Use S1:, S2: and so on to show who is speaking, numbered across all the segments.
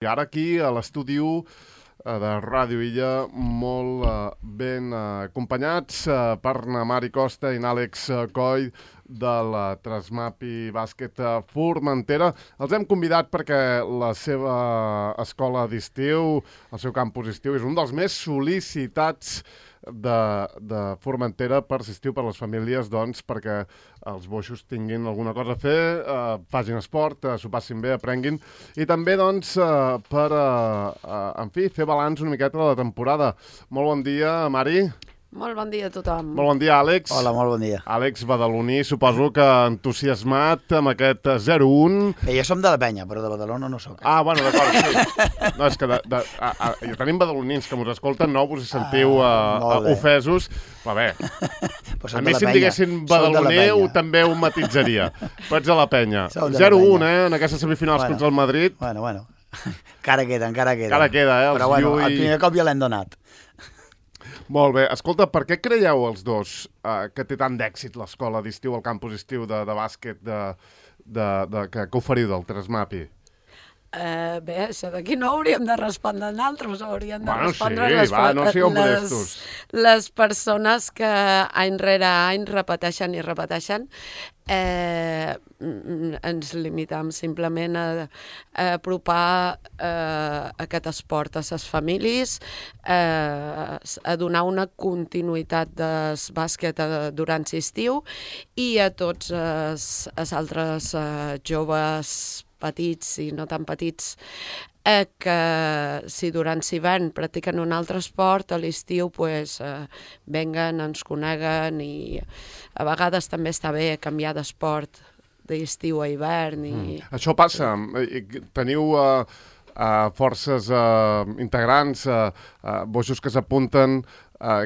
S1: I ara aquí, a l'estudi 1 de Ràdio Illa, molt ben acompanyats per na Mari Costa i n'Àlex Coll de la Trasmapi Bàsquet Formentera. Els hem convidat perquè la seva escola d'estiu, el seu campus d'estiu, és un dels més sol·licitats de Formentera per l'estiu per les famílies, doncs, perquè els boixos tinguin alguna cosa a fer, facin esport, s'ho passin bé, aprenguin, i també, doncs, per, en fi, fer balanç una miqueta de la temporada. Molt bon dia, Mari.
S2: Molt bon dia a tothom.
S1: Molt bon dia, Àlex.
S3: Hola, molt bon dia.
S1: Àlex Badaloní, suposo que entusiasmat amb aquest 0-1.
S3: Jo som de la penya, però de Badalona no sóc.
S1: Ah, bueno, d'acord, sí. No, és que ja tenim badalonins que us escolten, no us sentiu ofesos. Però bé, a mi si em diguessin badaloner també ho matitzaria. Però ets a la penya. 0-1, en aquestes semifinals contra el Madrid.
S3: Bueno. Encara queda.
S1: Encara queda,
S3: Però bueno, el primer cop ja l'hem donat.
S1: Molt bé. Escolta, per què creieu els dos que té tant d'èxit l'escola d'estiu, el campus d'estiu de bàsquet que oferiu del Trasmapi?
S2: Bé, això d'aquí no hauríem de respondre nosaltres, hauríem de respondre les persones que any rere any repeteixen i repeteixen. Ens limitem simplement a apropar aquest esport a les famílies, a donar una continuïtat del bàsquet durant l'estiu i a tots els altres joves petits i no tan petits que si durant l'hivern practiquen un altre esport, a l'estiu venguen, ens coneguen i a vegades també està bé canviar d'esport d'estiu a hivern.
S1: Això passa. Teniu forces integrants, boixos que s'apunten,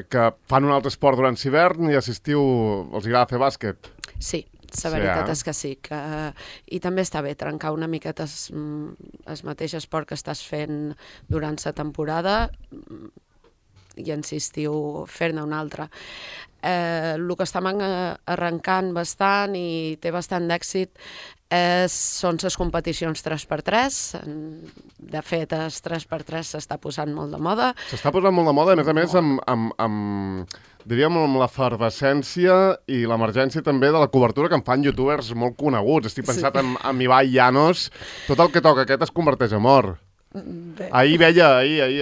S1: que fan un altre esport durant l'hivern i a l'estiu els agrada fer bàsquet?
S2: Sí. La veritat és que sí, i també està bé trencar una miqueta el mateix esport que estàs fent durant la temporada i en l'estiu fer-ne un altre. El que estem arrencant bastant i té bastant d'èxit són les competicions 3x3. De fet, el 3x3 s'està posant molt de moda.
S1: S'està posant molt de moda, a més diríem amb l'efervescència i l'emergència també de la cobertura que en fan youtubers molt coneguts. Estic pensat en Ibai Llanos. Tot el que toca aquest es converteix en or. Ahir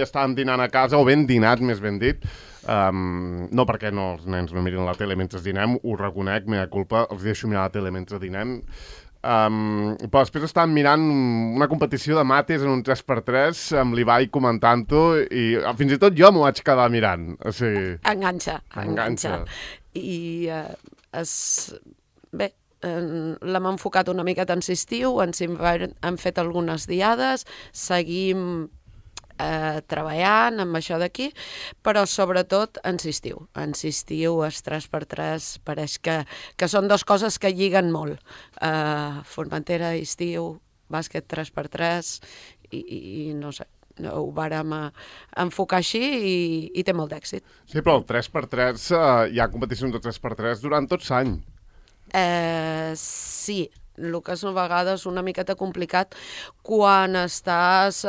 S1: estàvem dinant a casa, o ben dinat, més ben dit. No perquè els nens no mirin la tele mentre dinem, ho reconec, meva culpa, els deixo mirar la tele mentre dinem. Però després estàvem mirant una competició de mates en un 3x3 amb l'Ibai comentant-ho i fins i tot jo m'ho vaig quedar mirant. O sigui...
S2: Enganxa. I bé, l'hem enfocat una miqueta en l'estiu, hem fet algunes diades, seguim treballant amb això d'aquí, però sobretot en l'estiu. En l'estiu, els 3x3 pareix que són dues coses que lliguen molt. Formentera, estiu, bàsquet 3x3 i no sé, ho vàrem enfocar així i té molt d'èxit.
S1: Sí, però el 3x3, hi ha competicions de 3x3 durant tot l'any.
S2: Sí, el que és a vegades una miqueta complicat quan estàs...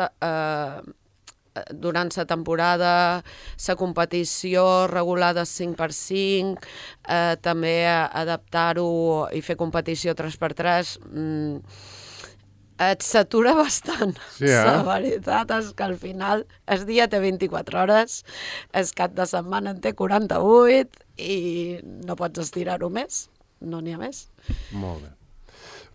S2: durant la temporada, la competició regulada 5x5, també adaptar-ho i fer competició 3x3, et satura bastant.
S1: Sí,
S2: La veritat és que al final el dia té 24 hores, el cap de setmana en té 48 i no pots estirar-ho més, no n'hi ha més.
S1: Molt bé.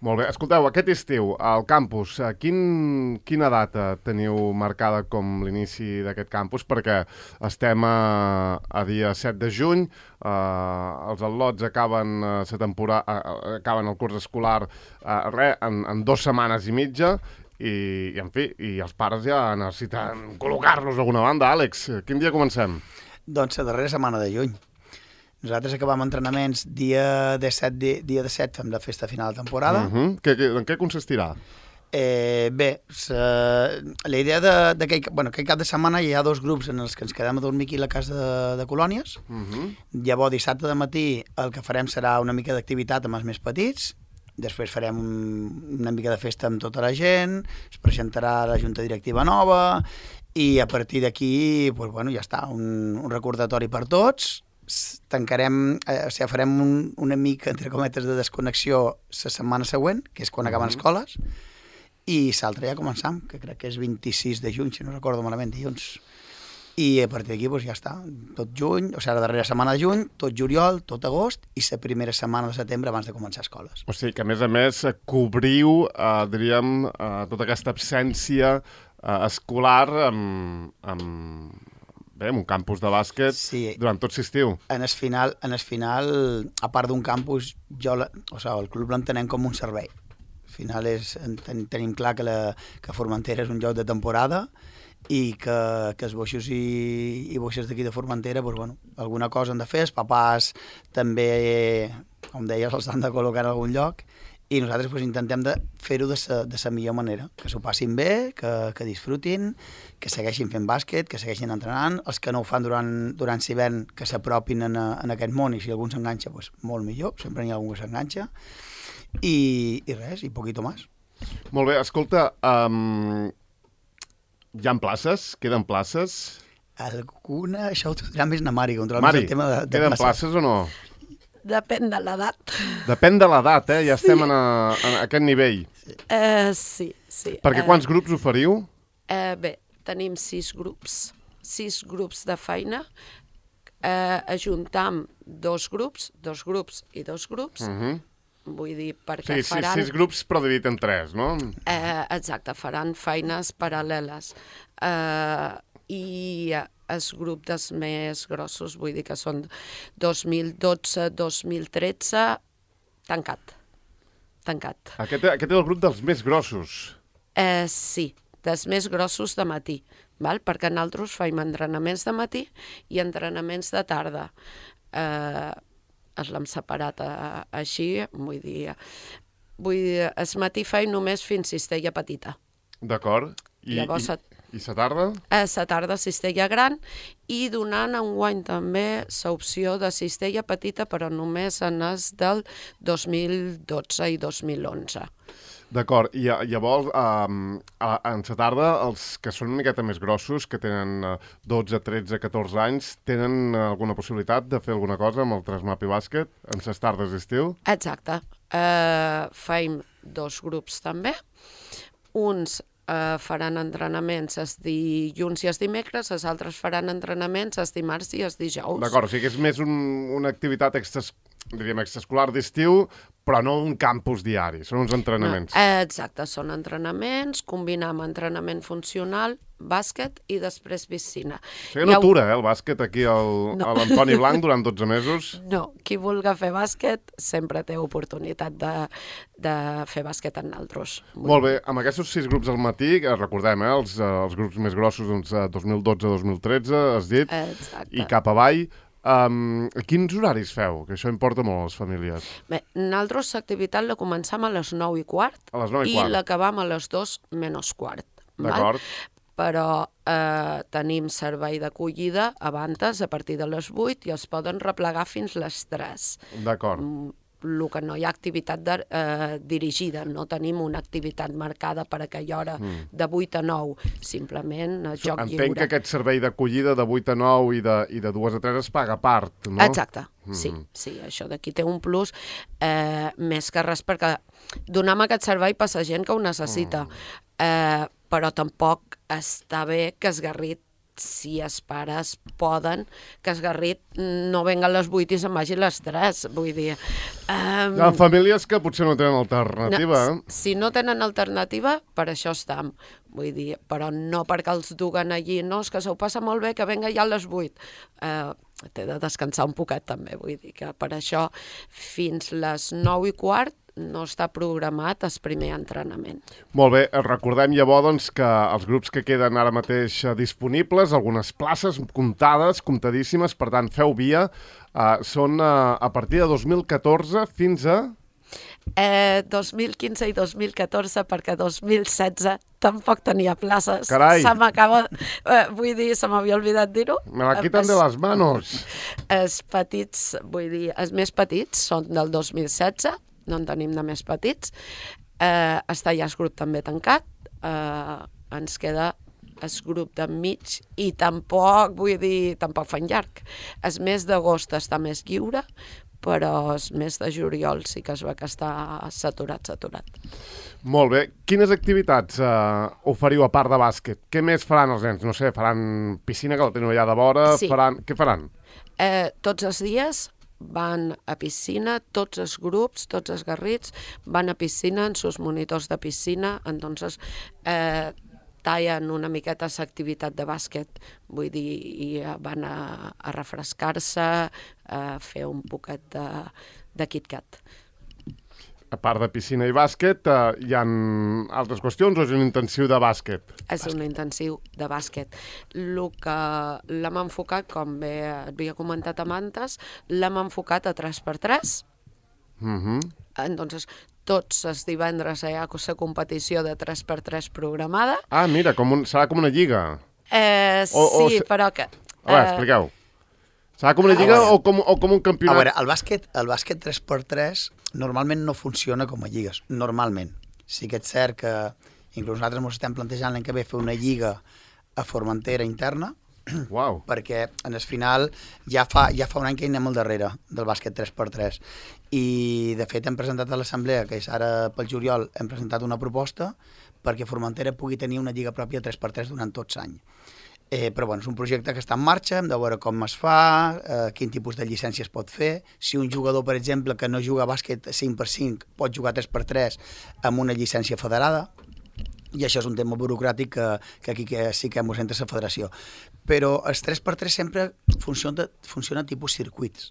S1: Molt bé. Escolteu, aquest estiu, al campus, quina data teniu marcada com l'inici d'aquest campus? Perquè estem a dia 7 de juny, els al·lots acaben el curs escolar en 2 setmanes i mitja, i en fi, i els pares ja necessiten col·locar-los d'alguna banda. Àlex, quin dia comencem?
S3: Doncs la darrera setmana de juny. Nosaltres acabam entrenaments dia de 7 fem la festa final de temporada.
S1: En què consistirà?
S3: Bé, la idea d'aquell cap de setmana hi ha 2 grups en els que ens quedem a dormir aquí a la casa de colònies. Llavors, dissabte de matí el que farem serà una mica d'activitat amb els més petits. Després farem una mica de festa amb tota la gent, es presentarà la junta directiva nova i a partir d'aquí doncs, bueno, ja està, un recordatori per tots. Tancarem, farem una mica, entre cometes, de desconnexió la setmana següent, que és quan acaben escoles, i l'altre ja començam, que crec que és 26 de juny, si no recordo malament, dilluns. I a partir d'aquí doncs, ja està, tot juny, o sigui, la darrera setmana de juny, tot juliol, tot agost i la primera setmana de setembre abans de començar escoles.
S1: O sigui que, a més, cobriu, diríem, tota aquesta absència escolar amb un campus de bàsquet durant tot l'estiu.
S3: En el final, a part d'un campus, el club l'entenem com un servei. Al final tenim clar que Formentera és un lloc de temporada i que els boixos i boixes d'aquí de Formentera, doncs, bueno, alguna cosa han de fer, els papàs també, com deies, els han de col·locar en algun lloc, i nosaltres doncs, intentem de fer-ho de la millor manera, que s'ho passin bé, que disfrutin, que segueixin fent bàsquet, que segueixin entrenant, els que no ho fan durant l'hivern, que s'apropin en aquest món, i si algú s'enganxa, doncs, molt millor, sempre n'hi ha algú que s'enganxa, i res, i poquito más.
S1: Molt bé, escolta, hi ha places? Queden places?
S3: Alguna, això ho dirà més na Mari, controlar
S1: Mari,
S3: el tema de
S1: queden places o no?
S2: Depèn de l'edat.
S1: Depèn de l'edat, ja estem en aquest nivell.
S2: Sí.
S1: Perquè quants grups oferiu?
S2: Bé, tenim 6 grups de feina. Ajuntam 2 grups i 2 grups. Vull dir, perquè faran...
S1: 6 grups però dividit en 3, no?
S2: Exacte, faran feines paral·leles. I els grups més grossos, vull dir que són 2012-2013, tancat.
S1: Aquest és el grup dels més grossos.
S2: Sí, dels més grossos de matí, val? Perquè nosaltres fem entrenaments de matí i entrenaments de tarda. L'hem separat així, vull dir, el matí feim només fins cistella petita.
S1: D'acord. I la tarda?
S2: La tarda cistella gran i donant enguany també l'opció de cistella petita, però només en els del 2012 i 2011.
S1: D'acord, i llavors en la tarda els que són una miqueta més grossos, que tenen 12, 13, 14 anys, tenen alguna possibilitat de fer alguna cosa amb el Trasmapi Bàsquet en les tardes d'estiu?
S2: Exacte. Feim 2 grups també. Uns faran entrenaments els dilluns i els dimecres, els altres faran entrenaments els dimarts i els dijous.
S1: D'acord, o sigui que és més una activitat extraescolar d'estiu, però no un campus diari, són uns entrenaments.
S2: Exacte, són entrenaments, combinar amb entrenament funcional, bàsquet i després piscina.
S1: O sigui, no atura, el bàsquet aquí a l'Antoni Blanc durant 12 mesos?
S2: No, qui vulgui fer bàsquet sempre té oportunitat de fer bàsquet en altres.
S1: Molt bé, amb aquests 6 grups al matí, recordem, els grups més grossos, doncs 2012-2013, has dit, i cap avall. Quins horaris feu? Que això importa molt a les famílies.
S2: Bé, nosaltres l'activitat la començam a les 9:15 i l'acabam a les 2:15.
S1: D'acord.
S2: Però tenim servei d'acollida abans, a partir de les 8, i els poden replegar fins les 3.
S1: D'acord.
S2: El que no hi ha activitat dirigida, no tenim una activitat marcada per aquella hora de 8 a 9, simplement joc lliure.
S1: Entenc que aquest servei d'acollida de 8 a 9 i de 2 a 3 es paga a part, no?
S2: Exacte, sí, això d'aquí té un plus més que res, perquè donem aquest servei per la gent que ho necessita, però tampoc està bé que es garrit, si els pares poden, que Esgarrit no venga a les 8 i se'n vagi a les 3, vull dir...
S1: Hi ha famílies que potser no tenen alternativa.
S2: Si no tenen alternativa, per això estem, vull dir, però no perquè els duguen allí, no, és que s'ho passa molt bé, que venga ja a les 8. Té de descansar un poquet també, vull dir que per això fins les 9:15 no està programat el primer entrenament. Molt
S1: bé, recordem llavors doncs, que els grups que queden ara mateix disponibles, algunes places comptades, comptadíssimes, per tant, feu via, són a partir de 2014 fins a...
S2: 2015 i 2014, perquè 2016 tampoc tenia places.
S1: Carai!
S2: Se m'acaba... vull dir, se m'havia oblidat dir-ho.
S1: Me la quitan de les manos.
S2: Els petits, vull dir, els més petits són del 2016, no en tenim de més petits. Està ja el grup també tancat, ens queda el grup d'enmig i tampoc, vull dir, tampoc fan llarg. El mes d'agost està més lliure, però el mes de juliol sí que es va que està saturat.
S1: Molt bé. Quines activitats oferiu a part de bàsquet? Què més faran els nens? No sé, faran piscina, que la teniu allà de vora?
S2: Sí.
S1: Què faran?
S2: Tots els dies van a piscina, tots els grups, tots els garrits van a piscina en sus monitors de piscina, entonces tallen una miqueta l'activitat de bàsquet, vull dir, i van a refrescar-se, a fer un poquet de KitKat.
S1: A part de piscina i bàsquet, hi ha altres qüestions o és un intensiu de bàsquet?
S2: És un intensiu de bàsquet. El que l'hem enfocat, com bé havia comentat abans, l'hem enfocat a 3x3. Entonces, tots els divendres hi ha la competició de 3x3 programada.
S1: Ah, mira, serà com una lliga.
S2: Sí, però que...
S1: A veure, expliqueu. Serà com una lliga o com un campionat?
S3: A veure, el bàsquet 3x3 normalment no funciona com a lligues, normalment. Sí que és cert que inclús nosaltres ens estem plantejant l'any que ve fer una lliga a Formentera interna,
S1: Uau.
S3: perquè en el final ja fa un any que hi anem al darrere del bàsquet 3x3 i de fet hem presentat a l'assemblea, que és ara pel juliol, hem presentat una proposta perquè Formentera pugui tenir una lliga pròpia 3x3 durant tots l'any. Però bueno, és un projecte que està en marxa, hem de veure com es fa, quin tipus de llicència es pot fer. Si un jugador, per exemple, que no juga a bàsquet 5x5 pot jugar 3x3 amb una llicència federada, i això és un tema burocràtic que aquí sí que ens entra la federació. Però els 3x3 sempre funciona tipus circuits.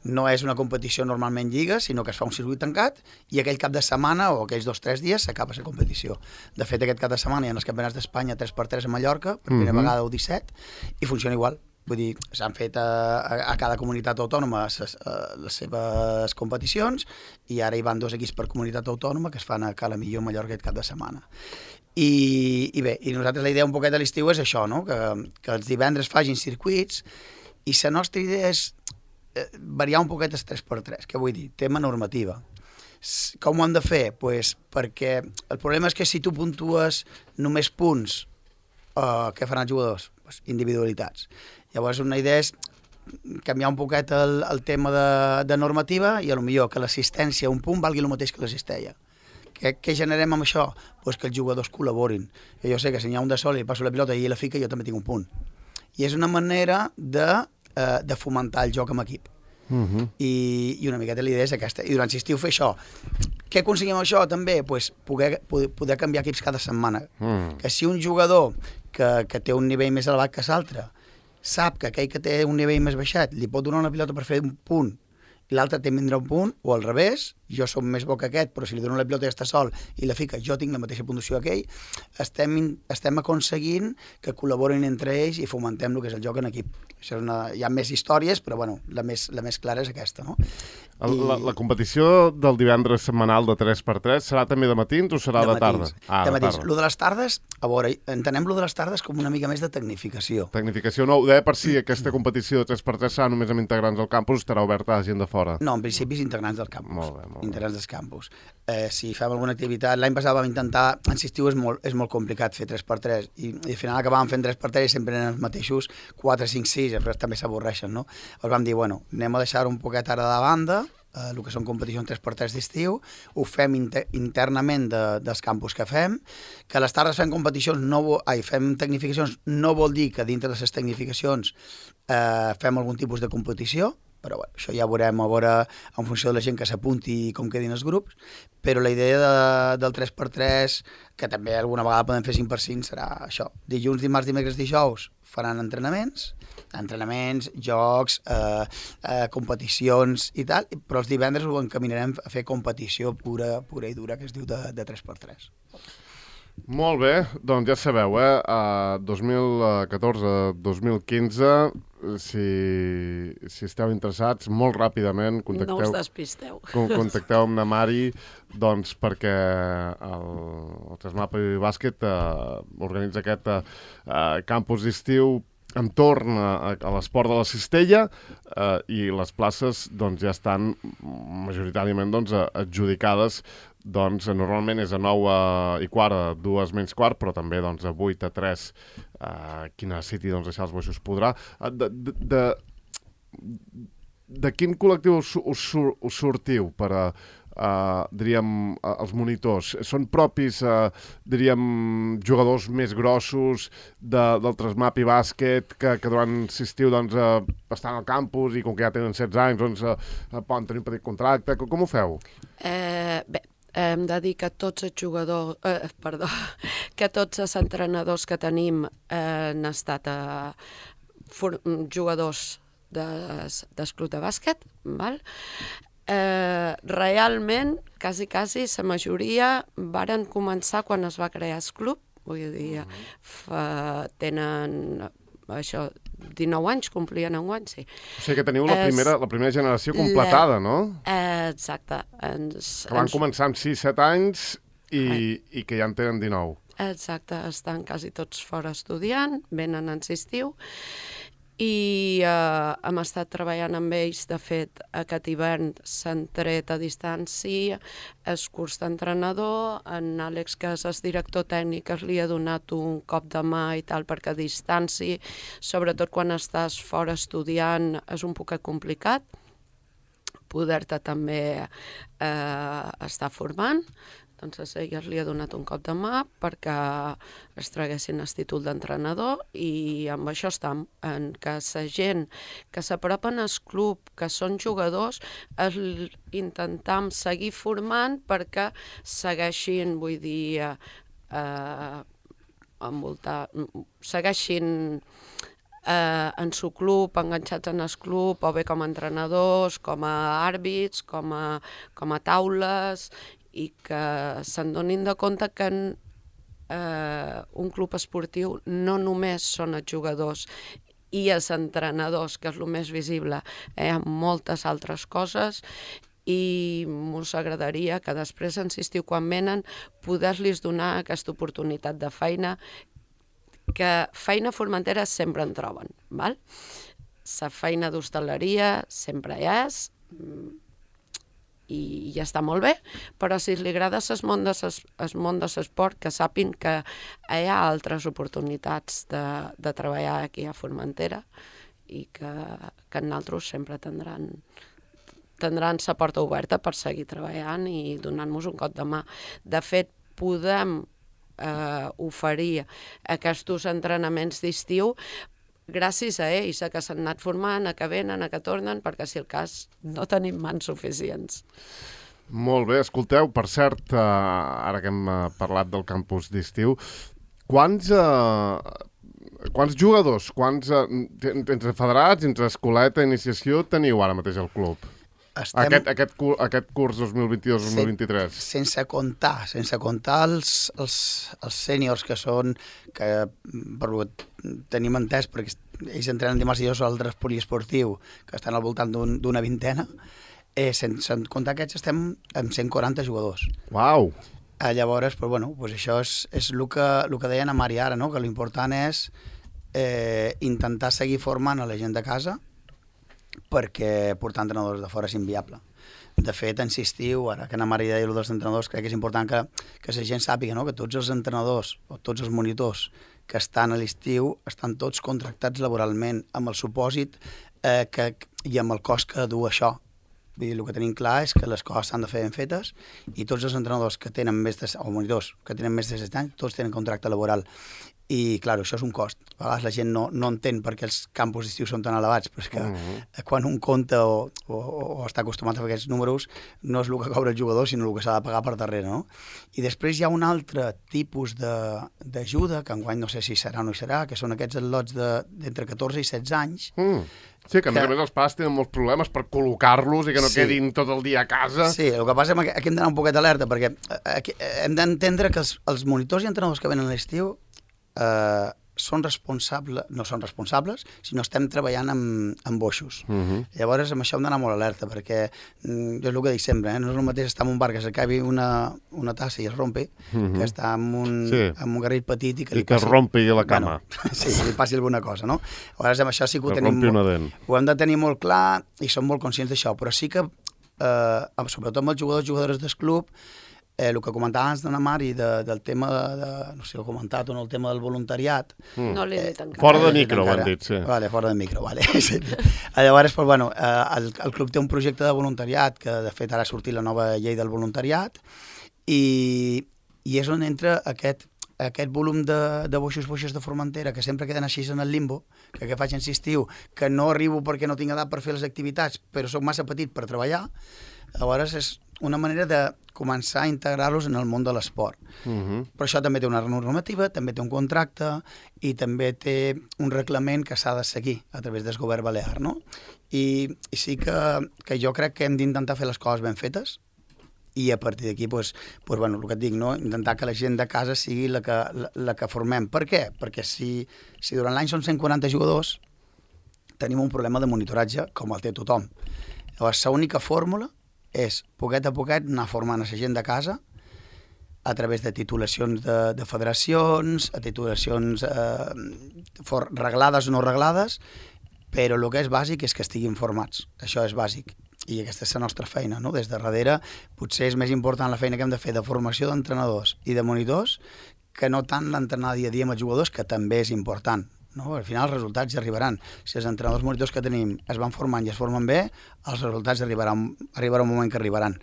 S3: No és una competició normalment lliga, sinó que es fa un circuit tancat i aquell cap de setmana o aquells 2 o 3 dies s'acaba la competició. De fet, aquest cap de setmana hi ha els campionats d'Espanya 3x3 a Mallorca, per primera vegada o 17, i funciona igual. Vull dir, s'han fet a cada comunitat autònoma les seves competicions i ara hi van 2 equips per comunitat autònoma que es fan a Cala Millor, Mallorca, aquest cap de setmana. I bé, i nosaltres la idea un poquet de l'estiu és això, no? Que els divendres facin circuits i la nostra idea és variar un poquet els 3x3, què vull dir? Tema normativa. Com ho hem de fer? Pues perquè el problema és que si tu puntues només punts, què faran els jugadors? Pues individualitats. Llavors una idea és canviar un poquet el tema de normativa i potser que l'assistència a un punt valgui el mateix que l'assistència. Què generem amb això? Pues que els jugadors col·laborin. Jo sé que si n'hi ha un de sol i passo la pilota i ell la fica, jo també tinc un punt. I és una manera de fomentar el joc amb equip. I una miqueta l'idea és aquesta. I durant l'estiu fer això. Què aconseguim amb això també? Pues poder canviar equips cada setmana. Que si un jugador que té un nivell més elevat que l'altre sap que aquell que té un nivell més baixat li pot donar una pilota per fer un punt i l'altre té vindrà un punt, o al revés, jo som més bo que aquest, però si li dono la pilota i està sol i la fica, jo tinc la mateixa puntuació que ell, estem aconseguint que col·laborin entre ells i fomentem el que és el joc en equip. Això hi ha més històries, però bueno, la més clara és aquesta, no?
S1: La competició del divendres setmanal de 3x3 serà també de matins o serà de tarda?
S3: De matins. Lo de les tardes, a veure, entenem lo de les tardes com una mica més de tecnificació.
S1: Tecnificació no, ho deia per si aquesta competició de 3x3 serà només amb integrants del campus, estarà oberta a gent de fora.
S3: No, en principi és integrants del campus.
S1: Molt bé.
S3: Integrants del campus. Si fem alguna activitat, l'any passat vam intentar, en l'estiu és molt complicat fer 3x3 i al final acabàvem fent 3x3 i sempre eren els mateixos 4, 5, 6, després també s'avorreixen, no? Llavors vam dir, bueno, anem a deixar un poquet ara de banda, el que són competicions 3x3 d'estiu, ho fem internament dels campus que fem, que a les tardes fem competicions, fem tecnificacions, no vol dir que dintre de les tecnificacions fem algun tipus de competició, però bueno, això ja veurem a veure en funció de la gent que s'apunti i com quedin els grups, però la idea del 3x3, que també alguna vegada podem fer 5x5, serà això. Dilluns, dimarts, dimecres, dijous faran entrenaments, jocs, competicions i tal, però els divendres ho encaminarem a fer competició pura i dura, que es diu de 3x3.
S1: Molt bé, doncs ja sabeu, 2014-2015, si esteu interessats, molt ràpidament
S2: no us despisteu.
S1: Contacteu amb na Mari, doncs perquè el Trasmap i Bàsquet organitza aquest campus d'estiu entorn a l'esport de la cistella i les places doncs, ja estan majoritàriament doncs, adjudicades. Doncs normalment és a 9:15, a 2:15, però també doncs, a 8:03 qui necessiti doncs, deixar els boixos podrà. De quin col·lectiu us sortiu per a diríem, els monitors? Són propis, diríem, jugadors més grossos del Trasmapi Bàsquet que durant l'estiu doncs, estan al campus i com que ja tenen 16 anys doncs, poden tenir un petit contracte? Com ho feu?
S2: Bé, hem de dir que tots els jugadors, que tots els entrenadors que tenim han estat jugadors d'esclut de bàsquet, val? Realment, quasi, la majoria varen començar quan es va crear el club, vull dir, tenen això, 19 anys, complien enguany, sí.
S1: O sigui que teniu la primera generació completada, no?
S2: Exacte.
S1: Que van començar amb 6-7 anys i que ja en tenen 19.
S2: Exacte, estan quasi tots fora estudiant, venen en l'estiu, i hem estat treballant amb ells. De fet, aquest hivern s'han tret a distància el curs d'entrenador. En Àlex, que és el director tècnic, li ha donat un cop de mà i tal, perquè a distància, sobretot quan estàs fora estudiant, és un poc complicat poder-te també estar formant. Doncs elles li ha donat un cop de mà perquè es traguessin el títol d'entrenador, i amb això estem, en que la gent que s'apropen al club, que són jugadors, intentem seguir formant perquè segueixin, vull dir, segueixin en su club, enganxats en el club, o bé com a entrenadors, com a àrbits, com a taules, i que se'n donin de compte que un club esportiu no només són els jugadors i els entrenadors, que és el més visible, hi ha moltes altres coses, i ens agradaria que després, en l'estiu, quan venen, poder-los donar aquesta oportunitat de feina, que feina a Formentera sempre en troben, val? La feina d'hostaleria sempre hi és, i ja està molt bé, però si li agrada el món de l'esport, que sàpin que hi ha altres oportunitats de treballar aquí a Formentera, i que nosaltres sempre tindran la porta oberta per seguir treballant i donant-nos un cop de mà. De fet, podem oferir aquests entrenaments d'estiu gràcies a ells, a que s'han anat formant, a que venen, a que tornen, perquè si el cas no tenim mans suficients.
S1: Molt bé, escolteu, per cert, ara que hem parlat del campus d'estiu, quants jugadors, entre federats, entre escoleta, iniciació, teniu ara mateix al club? Aquest curs 2022-2023.
S3: Sense comptar els sèniors que són, que tenim entès, perquè ells entrenen dimarts i dijous a l'altre poliesportiu, que estan al voltant d'una vintena, sense comptar aquests estem amb 140 jugadors.
S1: Uau!
S3: Llavors, això és el que deien a Mari ara, no? Que l'important és intentar seguir formant a la gent de casa, perquè portar entrenadors de fora és inviable. De fet, en l'estiu, ara que la Mari deia dels entrenadors, crec que és important que la gent sàpiga, no? Que tots els entrenadors o tots els monitors que estan a l'estiu estan tots contractats laboralment amb el supòsit i amb el cost que du això. Vull dir, el que tenim clar és que les coses s'han de fer ben fetes, i tots els entrenadors que tenen o monitors que tenen més de 16 anys, tots tenen contracte laboral. I, clar, això és un cost. A vegades la gent no entén per què els campus d'estiu són tan elevats, però és que quan un compta o està acostumat a fer aquests números, no és el que cobra el jugador, sinó el que s'ha de pagar per darrere, no? I després hi ha un altre tipus d'ajuda, que enguany no sé si serà o no hi serà, que són aquests lots d'entre 14 i 16 anys.
S1: Sí, que a més a més els pares tenen molts problemes per col·locar-los i que no quedin tot el dia a casa.
S3: Sí, el que passa és que aquí hem d'anar un poquet alerta, perquè hem d'entendre que els monitors i entrenadors que venen a l'estiu no són responsables, sinó estem treballant amb boixos. Llavors, amb això hem d'anar molt alerta, perquè jo és el que dic sempre, no és el mateix estar en un bar que s'acabi una tassa i es rompi, que estar en un garrit petit i que
S1: es rompi la cama.
S3: Sí, que li passi alguna cosa, no? Llavors, amb això sí que ho hem de tenir molt clar i som molt conscients d'això, però sí que, sobretot amb els jugadors del club, el que comentava abans d'una Mari del tema no sé si ho he comentat o no, el tema del voluntariat.
S2: No l'he dit encara.
S1: Fora de micro, ho han dit, sí.
S3: Vale, fora de micro, vale. Sí. Llavors, pues, bueno, el club té un projecte de voluntariat, que de fet ara ha sortit la nova llei del voluntariat, i és on entra aquest volum de boixos de Formentera, que sempre queden així en el limbo, que faig insistiu, que no arribo perquè no tinc edat per fer les activitats, però soc massa petit per treballar. Llavors és una manera de començar a integrar-los en el món de l'esport. Però això també té una normativa, també té un contracte i també té un reglament que s'ha de seguir a través del govern balear, no? I sí que jo crec que hem d'intentar fer les coses ben fetes i a partir d'aquí, bueno, el que et dic, no? Intentar que la gent de casa sigui la que formem. Per què? Perquè si durant l'any són 140 jugadors, tenim un problema de monitoratge com el té tothom. Llavors, l'única fórmula és, poquet a poquet, anar formant a la gent de casa a través de titulacions de federacions, a titulacions reglades o no reglades, però el que és bàsic és que estiguin formats. Això és bàsic. I aquesta és la nostra feina, no? Des de darrere potser és més important la feina que hem de fer de formació d'entrenadors i de monitors que no tant l'entrenar dia a dia amb els jugadors, que també és important. No? Al final els resultats ja arribaran. Si els entrenadors monitors que tenim es van formant i es formen bé, els resultats arribarà un moment que arribaran.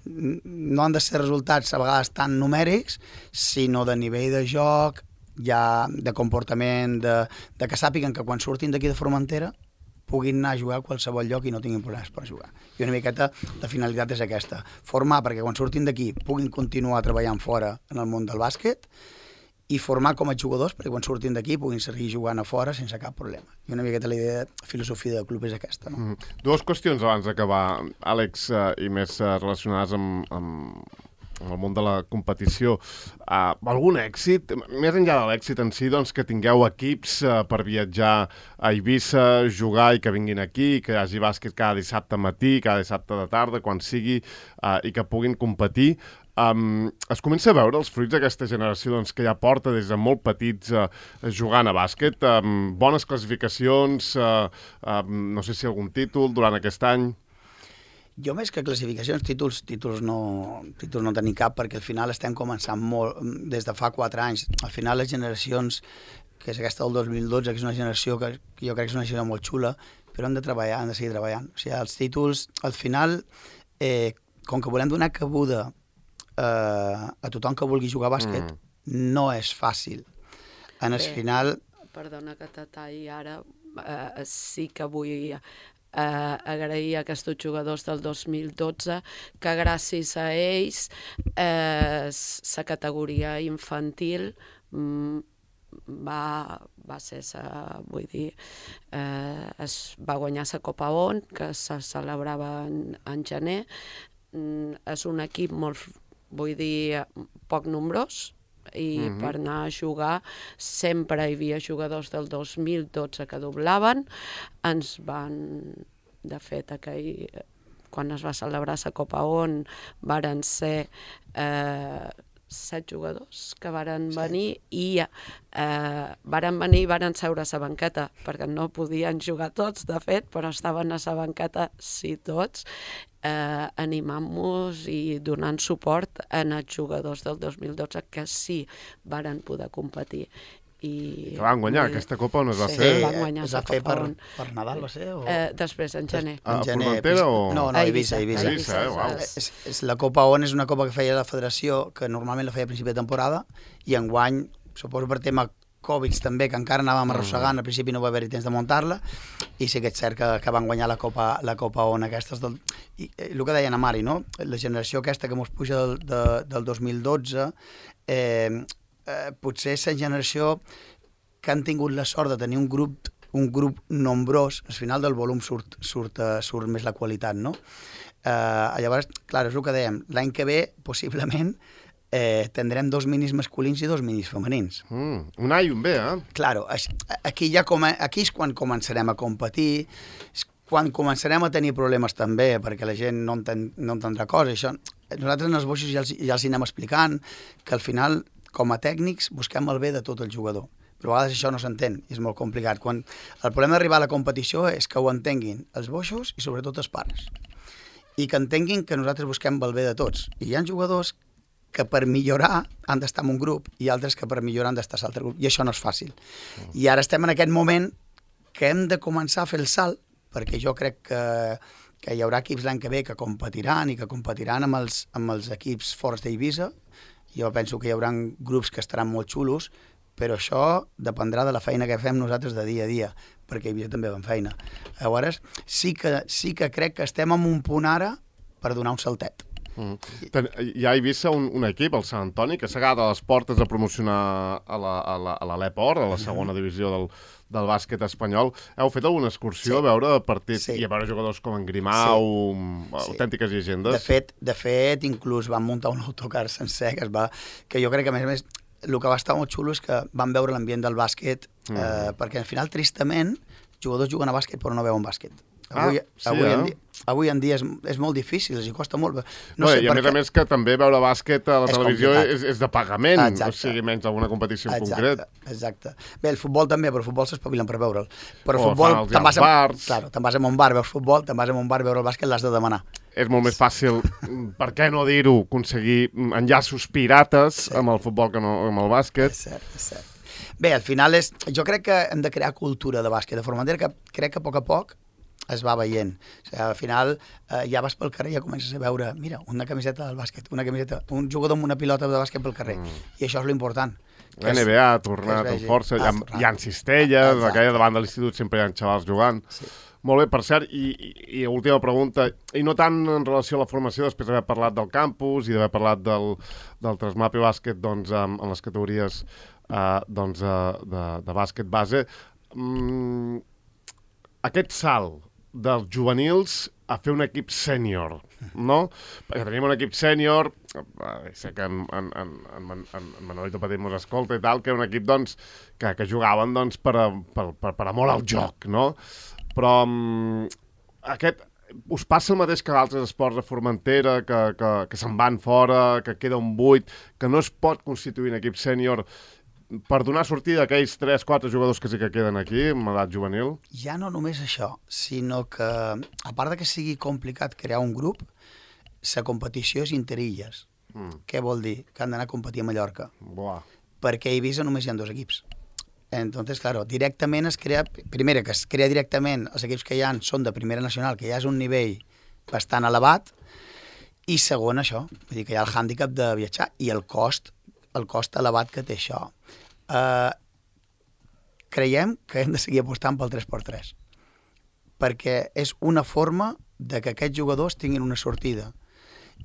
S3: No han de ser resultats a vegades tan numèrics, sinó de nivell de joc, ja de comportament, de que sàpiguen que quan surtin d'aquí de Formentera puguin anar a jugar a qualsevol lloc i no tinguin problemes per jugar. I una miqueta la finalitat és aquesta, formar perquè quan surtin d'aquí puguin continuar treballant fora en el món del bàsquet i formar com a jugadors perquè quan surtin d'aquí puguin seguir jugant a fora sense cap problema. I una miqueta la idea de filosofia del club és aquesta. No?
S1: Dues qüestions abans d'acabar, Àlex, i més relacionades amb el món de la competició. Algun èxit, més enllà de l'èxit en si, doncs, que tingueu equips per viatjar a Eivissa, jugar i que vinguin aquí, que hi hagi bàsquet cada dissabte matí, cada dissabte de tarda, quan sigui, i que puguin competir. Es comença a veure els fruits d'aquesta generació doncs, que ja porta des de molt petits jugant a bàsquet, bones classificacions, no sé si algun títol durant aquest any.
S3: Jo més que classificacions, títols no tenim cap, perquè al final estem començant molt, des de fa 4 anys. Al final les generacions, que és aquesta del 2012, que és una generació que jo crec que és una generació molt xula, però hem de treballar, hem de seguir treballant. O sigui, els títols, al final, com que volem donar cabuda a tothom que vulgui jugar a bàsquet, no és fàcil. En el final...
S2: Perdona que t'atalli ara, sí que vull agrair a aquests jugadors del 2012 que gràcies a ells la categoria infantil va ser, vull dir, es va guanyar la Copa ON, que se celebrava en gener. És un equip molt, vull dir, poc nombrós, i per anar a jugar sempre hi havia jugadors del 2012 que doblaven. Ens van, de fet, quan es va celebrar la Copa ON varen ser 7 jugadors que varen venir i varen seure a la banqueta perquè no podien jugar tots, de fet, però estaven a la banqueta sí tots, animant-nos i donant suport a els jugadors del 2012 que sí varen poder competir. Que
S1: van guanyar aquesta Copa on es va fer?
S3: Es va fer per Nadal, va ser?
S2: Després, en gener.
S1: A Formentera o...?
S3: No, a Eivissa. La Copa ON és una copa que feia la federació, que normalment la feia a principi de temporada, i enguany, suposo per tema Covid també, que encara anàvem arrossegant, al principi no va haver-hi temps de muntar-la, i sí que és cert que van guanyar la Copa ON aquestes. I el que deia na Mari, no? La generació aquesta que mos puja del 2012, potser és la generació que han tingut la sort de tenir un grup nombrós. Al final del volum surt més la qualitat, no? Llavors, clar, és el que dèiem, l'any que ve, possiblement, tindrem 2 minis masculins i 2 minis femenins.
S1: Un A i un B,
S3: Claro, aquí és quan començarem a competir, és quan començarem a tenir problemes també, perquè la gent no entendrà coses. Això, nosaltres en els boixos ja els anem explicant que al final, com a tècnics, busquem el bé de tot el jugador. Però a vegades això no s'entén i és molt complicat. El problema d'arribar a la competició és que ho entenguin els boixos i sobretot els pares. I que entenguin que nosaltres busquem el bé de tots. I hi ha jugadors que per millorar han d'estar en un grup i altres que per millorar han d'estar en l'altre grup. I això no és fàcil. I ara estem en aquest moment que hem de començar a fer el salt, perquè jo crec que hi haurà equips l'any que ve que competiran i que competiran amb els equips forts d'Eivissa. Jo penso que hi haurà grups que estaran molt xulos, però això dependrà de la feina que fem nosaltres de dia a dia, perquè Eivissa també va en feina. Llavors, sí que crec que estem en un punt ara per donar un saltet.
S1: Hi ha a Eivissa un equip, el Sant Antoni, que s'ha quedat a les portes de promocionar a l'Aleport, a la segona divisió del bàsquet espanyol. Heu fet alguna excursió a veure partits i a veure jugadors com en Grimau, autèntiques llegendes?
S3: De fet, inclús van muntar un autocar sencer, que jo crec que, a més, el que va estar molt xulo és que van veure l'ambient del bàsquet, perquè al final, tristament, jugadors juguen a bàsquet però no veuen bàsquet. Avui en dia és molt difícil, els hi costa molt.
S1: I a més que també veure bàsquet a la televisió és de pagament, o sigui, menys alguna competició en concret.
S3: Exacte. Bé, el futbol també, però el futbol s'espavilen per veure'l. Però
S1: el futbol, te'n vas
S3: a un bar, veus futbol, te'n vas a un bar, veure el bàsquet, l'has de demanar.
S1: És molt més fàcil, per què no dir-ho, aconseguir enllaços pirates amb el futbol que no amb el bàsquet.
S3: És cert. Bé, al final jo crec que hem de crear cultura de bàsquet de Formentera, que crec que a poc es va veient. O sigui, al final ja vas pel carrer i ja comences a veure, mira, una camiseta del bàsquet, un jugador amb una pilota de bàsquet pel carrer. I això és l'important.
S1: La NBA ha tornat amb força, hi ha cistelles, aquella davant de l'institut sempre hi ha xavals jugant. Molt bé, per cert, i última pregunta, i no tant en relació a la formació, després d'haver parlat del campus i d'haver parlat del Trasmapi Bàsquet en les categories de bàsquet base, aquest salt dels juvenils a fer un equip sènior, no? Perquè tenim un equip sènior, sé que en Manolito Petit mos escolta i tal, que era un equip que jugaven per amor al joc, no? Però us passa el mateix que d'altres esports de Formentera, que se'n van fora, que queda un buit, que no es pot constituir un equip sènior per donar sortida a aquells 3-4 jugadors que sí que queden aquí, en edat juvenil?
S3: Ja no només això, sinó que, a part de que sigui complicat crear un grup, la competició és interilles. Què vol dir? Que han d'anar a competir a Mallorca. Perquè a Eivissa només hi ha 2 equips. Entonces, claro, directament es crea... Primera, que es crea directament, els equips que hi ha són de primera nacional, que ja és un nivell bastant elevat, i segon, això, vull dir que hi ha el hàndicap de viatjar i el cost elevat que té això. Creiem que hem de seguir apostant pel 3x3, perquè és una forma de que aquests jugadors tinguin una sortida.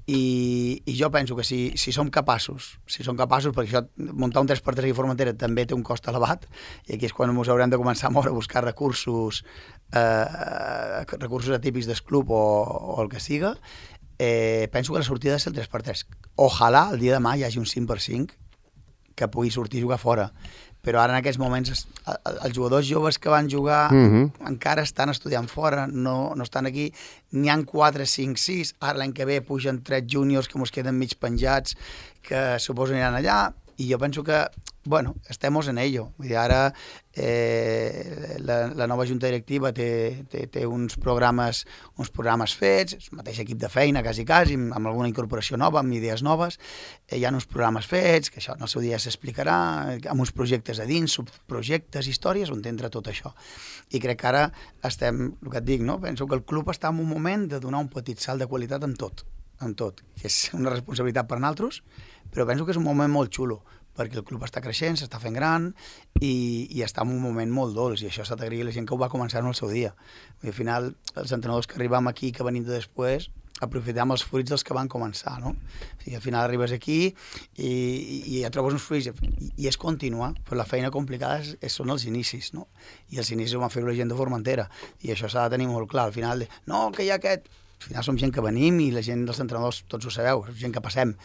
S3: I jo penso que si som capaços, perquè això, muntar un 3x3 a Formentera també té un cost elevat, i aquí és quan ens haurem de començar a moure a buscar recursos atípics del club o el que siga. Penso que la sortida és el 3x3. Ojalà el dia de demà hi hagi un 5x5 que pugui sortir a jugar fora. Però ara en aquests moments els jugadors joves que van jugar encara estan estudiant fora, no estan aquí. N'hi ha 4, 5, 6. Ara l'any que ve pugen 3 júniors que ens queden mig penjats, que suposo aniran allà. I jo penso que, bueno, estemos en ello. Vull dir, ara la nova junta directiva té uns programes fets, el mateix equip de feina, quasi, amb alguna incorporació nova, amb idees noves. Hi ha uns programes fets, que això en el seu dia s'explicarà, amb uns projectes a dins, subprojectes, històries, on entra tot això. I crec que ara estem, el que et dic, no? Penso que el club està en un moment de donar un petit salt de qualitat en tot, que és una responsabilitat per nosaltres, però penso que és un moment molt xulo, perquè el club està creixent, s'està fent gran i està en un moment molt dolç, i això s'ha d'agrair a la gent que ho va començar en el seu dia. I al final, els entrenadors que arribam aquí, que venim de després, aprofitem els fruits dels que van començar, no? O sigui, al final arribes aquí i ja trobes uns fruits, i és continuar, però la feina complicada són els inicis, no? I els inicis ho van fer la gent de Formentera, i això s'ha de tenir molt clar. Al final, no, que hi ha aquest... Al final som gent que venim i la gent dels entrenadors, tots ho sabeu, gent que passem.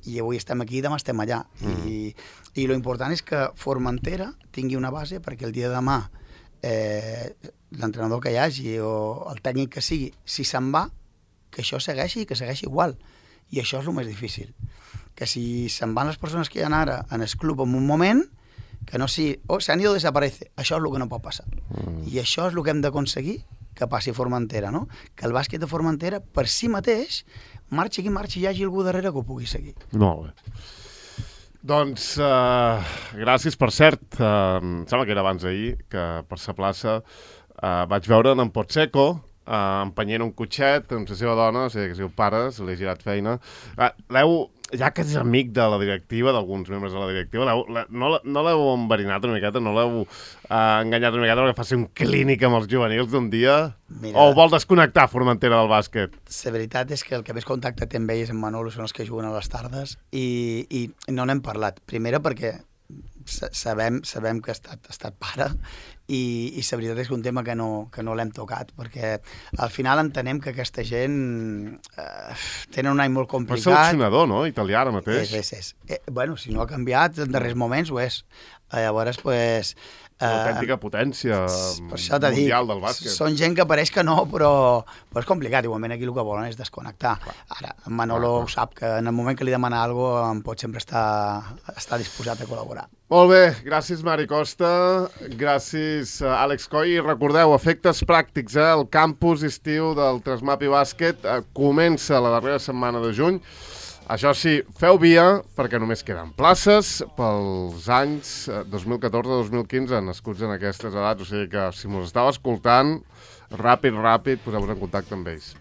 S3: I avui estem aquí, demà estem allà. I lo important és que Formentera tingui una base perquè el dia de demà l'entrenador que hi hagi o el tècnic que sigui, si se'n va, que això segueixi i que segueixi igual. I això és el més difícil. Que si se'n van les persones que hi ha ara en el club en un moment, que no sigui, se han ido, desaparece. Això és el que no pot passar. I això és el que hem d'aconseguir que passi a Formentera, no? Que el bàsquet de Formentera, per si mateix, marxi qui marxi, hi hagi algú darrere que ho pugui seguir.
S1: Molt bé. Doncs, gràcies, per cert, em sembla que era abans d'ahir, que per sa plaça vaig veure en Potseco, empenyent un cotxet amb la seva dona, o sigui, que seu pares, li ha girat feina. Ja que és amic de la directiva, d'alguns membres de la directiva, no l'heu enverinat una miqueta, no l'heu enganyat una miqueta perquè faci un clínic amb els juvenils d'un dia? Mira, o vol desconnectar Formentera del bàsquet?
S3: La veritat és que el que més contacte té amb ells, en Manolo, són els que juguen a les tardes i no n'hem parlat. Primera perquè sabem que ha estat pare i la veritat és que un tema que no l'hem tocat, perquè al final entenem que aquesta gent tenen un any molt complicat.
S1: Però és seleccionador, no? Italià ara mateix.
S3: És. Bueno, si no ha canviat, en darrers moments ho és. Llavors, pues...
S1: Una autèntica potència mundial del bàsquet.
S3: Són gent que pareix que no, però és complicat. Igualment aquí el que volen és desconnectar. Ara, en Manolo ho sap, que en el moment que li demana alguna cosa em pot sempre estar disposat a col·laborar.
S1: Molt bé, gràcies Mari Costa, gràcies Àlex Coll, i recordeu, efectes pràctics, el campus estiu del Trasmapi Bàsquet comença la darrera setmana de juny. Això sí, feu via, perquè només queden places pels anys 2014-2015 nascuts en aquestes edats, o sigui que si mos estàu escoltant, ràpid, poseu-vos en contacte amb ells.